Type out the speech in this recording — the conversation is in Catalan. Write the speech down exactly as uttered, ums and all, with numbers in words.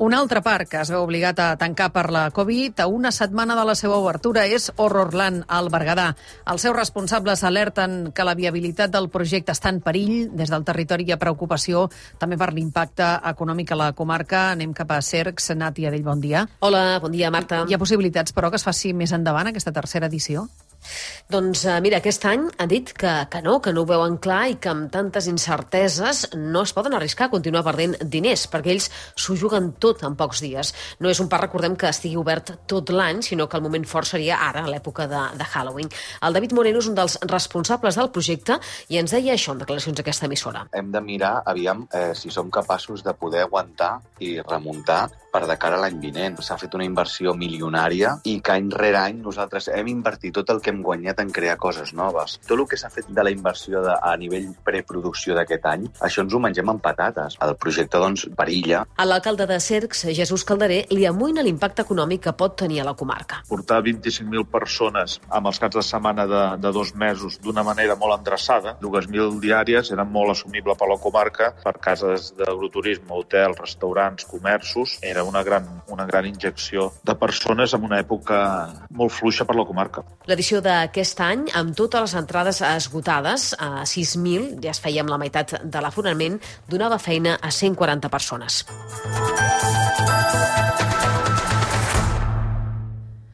Un altre parc que es veu obligat a tancar per la Covid a una setmana de la seva obertura és Horrorland, al Berguedà. Els seus responsables alerten que la viabilitat del projecte està en perill. Des del territori hi ha preocupació també per l'impacte econòmic a la comarca. Anem cap a Cercs. Nàtia Dell, bon dia. Hola, bon dia, Marta. Hi ha possibilitats, però, que es faci més endavant aquesta tercera edició? Doncs mira, aquest any han dit que, que no, que no ho veuen clar i que amb tantes incerteses no es poden arriscar a continuar perdent diners, perquè ells s'ho juguen tot en pocs dies. No és un parc, recordem, que estigui obert tot l'any, sinó que el moment fort seria ara, a l'època de, de Halloween. El David Moreno és un dels responsables del projecte i ens deia això en declaracions d'aquesta emissora. Hem de mirar, aviam, eh, si som capaços de poder aguantar i remuntar per de cara a l'any vinent. S'ha fet una inversió milionària i que any rere any nosaltres hem invertit tot el que hem guanyat en crear coses noves. Tot el que s'ha fet de la inversió de, a nivell preproducció d'aquest any, això ens ho mengem amb patates. El projecte, doncs, perilla. A l'alcalde de Cercs, Jesús Calderé, li amoïna l'impacte econòmic que pot tenir a la comarca. Portar vint-i-cinc mil persones amb els caps de setmana de, de dos mesos d'una manera molt endreçada, dues mil diàries, era molt assumible per la comarca, per cases d'agroturisme, hotels, restaurants, comerços. Era una gran, una gran injecció de persones en una època molt fluixa per la comarca. L'edició d'aquest any, amb totes les entrades esgotades, a sis mil, ja es feia amb la meitat de l'aforament, donava feina a cent quaranta persones.